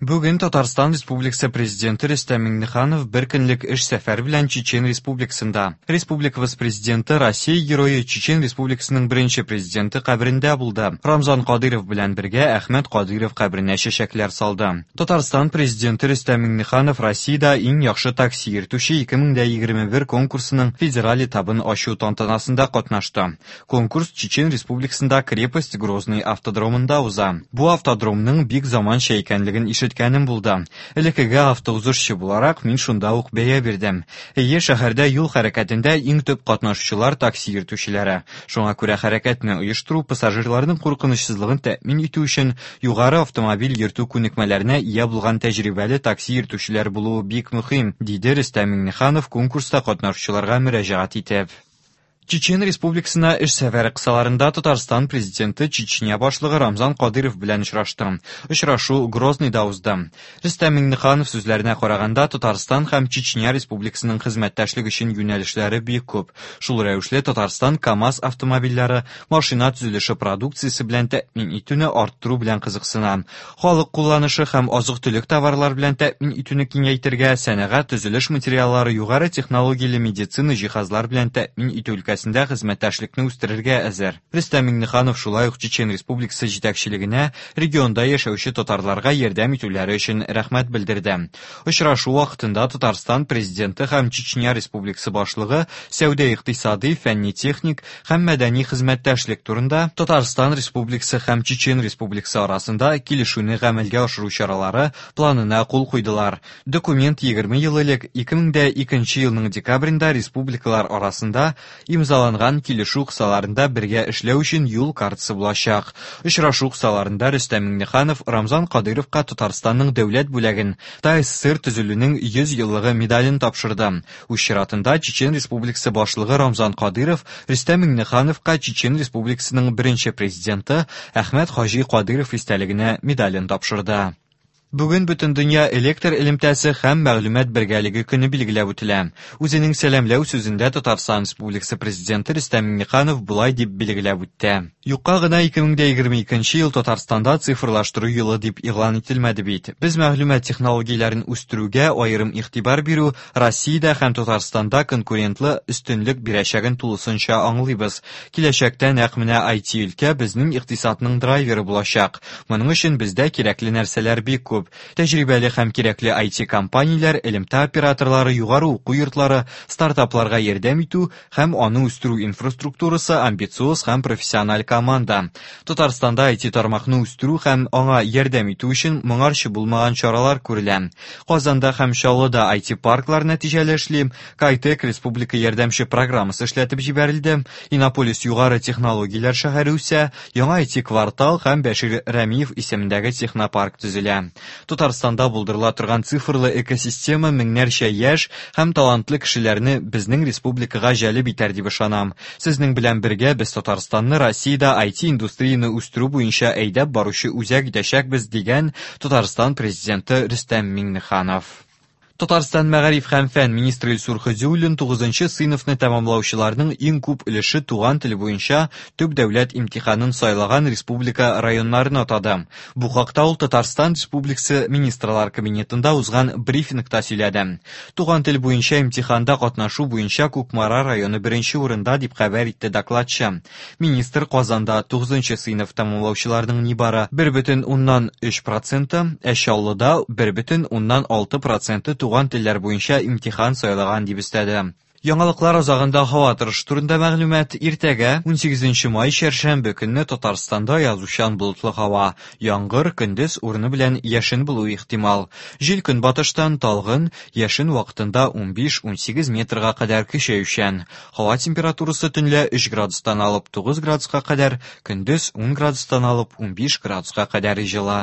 Бүген Татарстан Республикасы Президенты Рөстәм Миңнеханов бер көнлек эш сәфәре белән Чечен Республикасында. Республикабыз Президенты Россия Герое Чечен Республикасының беренче президенты каберендә булды. Рамзан Кадыйров белән бергә Әхмәт Кадыйров каберенә чәчәкләр салды. Татарстан Президенты Рөстәм Миңнеханов Россиядә иң яхшы такси йөртүче 2021 конкурсының федераль этабын ачу тантанасында катнашты. Конкурс Чечен Республикасында Крепость Грозный автодромында уза. Бу автодромның бик заманча икәнлеген ишеткәнем булды. Элеккеге автоузышчы буларак, мин шунда ук бәя бирдем. Әйе, шәһәрдә юл хәрәкәтендә иң төп катнашучылар такси йөртүчеләре. Шуңа күрә хәрәкәтне оештыру, пассажирларның куркынычсызлыгын тәэмин итү өчен югары автомобиль йөртү күнекмәләренә ия булган тәҗрибәле такси йөртүчеләр булуы бик мөһим, диде Рөстәм Миңнеханов конкурста катнашучыларга мөрәҗәгать итеп. Чечен Республикасына эш сәфәре кысаларында Татарстан Президенты Чечня башлыгы Рамзан Кадыйров белән очрашты. Очрашу Грозныйда узды. Рөстәм Миңнеханов сүзләренә караганда, Татарстан һәм Чечня Республикасының хезмәттәшлек өчен юнәлешләре бик күп. Шул рәвешле Татарстан КАМАЗ автомобильләре, машина төзелеше продукциясе белән тәэмин итүне арттыру белән кызыксына. Халык кулланышы һәм азык-төлек товарлар белән тәэмин итүне киңәйтергә, сәнәгать, төзелеш материаллары, югары технологияле медицина җиһазлар белән тәэмин итү өлкәсендә хезмәттәшлекне үстерергә әзер. Рөстәм Миңнеханов шулай ук Чечен Республикасы җитәкчелегенә регионда яшәүче татарларга ярдәм итүләре өчен рәхмәт белдерде. Очрашу вакытында Татарстан Президенты һәм Чечня Республикасы башлыгы сәүдә-икътисадый, фәнни-техник һәм мәдәни хезмәттәшлек турында Татарстан Республикасы һәм Чечен Республикасы арасында килешүне гамәлгә ашыру чаралары планына кул куйдылар. Документ 20 ел элек, 2002 елның декабрендә республикалар арасында имзаланган килешү кысаларында бергә эшләү өчен юл картасы булачак. Очрашу кысаларында Рөстәм Миңнеханов Рамзан Кадыйровка Татарстанның дәүләт бүләген, ТАССР төзелүнең 100 еллыгы медален тапшырды. Үз чиратында Чечен Республикасы башлыгы Рамзан Кадыйров Рөстәм Миңнехановка Чечен Республикасының беренче президенты Әхмәт Хаҗи Кадыйров истәлегенә медален тапшырды. Бүген Бөтендөнья электр элемтәсе һәм мәгълүмат бергәлеге көне билгеләп үтелә. Үзенең сәламләү сүзендә Татарстан Республикасы Президенты Рөстәм Миңнеханов болай дип билгеләп үтте. Юкка гына 2022 ел Татарстанда цифрлаштыру елы дип игълан ителмәде бит. Без мәгълүмат технологияләрен үстерүгә аерым игътибар бирү Россиядә һәм Татарстанда конкурентлы өстенлек бирәчәген тулысынча аңлыйбыз. Киләчәктә нәкъ менә IT-өлкә безнең икътисадның драйверы булачак. Моның өчен бездә кирәкле нәрсәләр бик күп. Тәҗрибәле һәм кирәкле IT-компанияләр, элемтә операторлары, югары уку йортлары, стартапларга ярдәм итү һәм аны үстерү инфраструктурасы, амбициоз һәм профессиональ команда. Татарстанда IT-тармакны үстерү һәм аңа ярдәм итү өчен моңарчы булмаган чаралар күрелә. Казанда һәм Чаллыда IT-парклар нәтиҗәле эшли, Кайтек республика ярдәмче программасы эшләтеп җибәрелде, Иннополис югары технологияләр шәһәре үсә, яңа IT-квартал һәм Бәшир Рәмиев исемендәге технопарк төзелә. Татарстанда булдырыла торган цифрлы экосистема меңнәрчә яшь һәм талантлы кешеләрне безнең республикага җәлеп итәр дип ышанам. Сезнең белән бергә без Татарстанны Россиядә IT-индустрияне үстерү буенча әйдәп баручы үзәк итәчәкбез, дигән Татарстан Президенты Рөстәм Миңнеханов. Татарстан мәгариф һәм фән министры Илсур Хөдиуллин 9 сыйныфны тәмамлаучыларның иң күп өлеше туган тел буенча төп дәүләт имтиханын сайлаган республика районнарын атады. Бу хакта ул Татарстан Республикасы Министрлар Кабинетында узган брифингта сөйләде. Туган тел буенча имтиханда катнашу буенча Кукмара районы беренче урында, дип хәбәр итте докладчы. Министр Казанда 9 сыйныф тәмамлаучыларның нибары 1,3 проценты, ә Чаллыда 1,6 проценты туган телләр буенча имтихан сайлаган дип өстәде. Яңалыклар азагында һава торышы турында мәгълүмат. Иртәгә, 18 май, чәршәмбе көнне Татарстанда язучан болытлы һава, яңгыр, көндез урыны белән яшен булуы ихтимал. Җил көнбатыштан талгын, яшен вакытында 15-18 метрга кадәр көчәючән. Һава температурасы төнлә 3 градустан алып 9 градуска кадәр, көндез 10 градустан алып 15 градуска кадәр җылы.